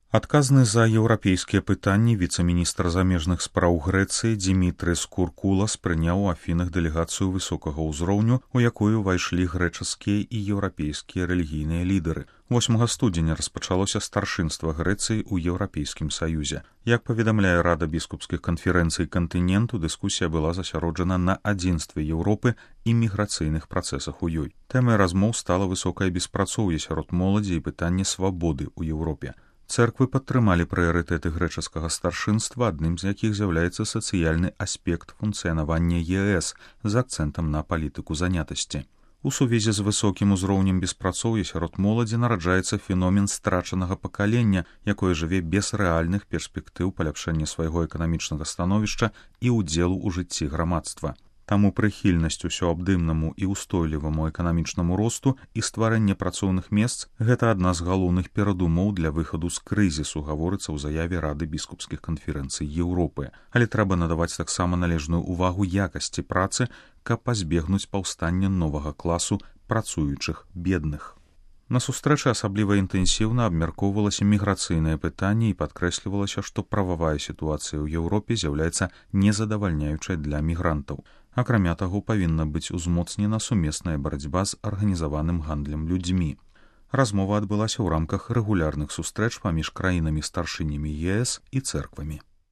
Адказны за еўрапейскія пытанні віцэ-міністр замежных спраў Грэцыі Димітрис Куркулас прыняў у Афінах дэлегацыю высокага ўзроўню, у якую ўвайшлі грэчаскія і еўрапейскія рэлігійныя лідары. 8 студзеня распачалося старшынства Грэцыі ў Еўрапейскім саюзе. Як паведамляе Рада біскупскіх канферэнцый кантыненту, дыскусія была засяроджана на адзінстве Еўропы і міграцыйных працэсах у ёй. Тэмай размоў стала высокае беспрацоўе сярод моладзі і пытанне свабоды ў Еўропе. Цэрквы падтрымалі прыярытэты грэчаскага старшынства, адным з якіх з'яўляецца сацыяльны аспект функцыянавання ЕС з акцэнтам на палітыку занятасці. У сувязі з высокім узроўнем беспрацоўя сярод моладзі нараджаецца феномен страчанага пакалення, якое жыве без рэальных перспектыў паляпшэння свайго эканамічнага становішча і ўдзелу ў жыцці грамадства. Таму прыхільнасць усёабдымнаму і ўстойліваму эканамічнаму росту і стварэнне працоўных месц – гэта адна з галоўных перадумоў для выхаду з крызісу, гаворыцца ў заяве Рады біскупскіх канферэнцый Еўропы. Але трэба надаваць таксама належную ўвагу якасці працы, каб пазбегнуць паўстання новага класу працуючых бедных. На сустрэчы асабліва інтэнсіўна абмяркоўвалася міграцыйнае пытанне і падкрэслівалася, што прававая сітуацыя ў Еўропе з'яўляецца незадавальняючай для мігрантаў. Акрамя таго, павінна быць узмоцнена сумесная барацьба з арганізаваным гандлем людзьмі. Размова адбылася ў рамках рэгулярных сустрэч паміж краінамі-старшынямі ЕС і цэрквамі.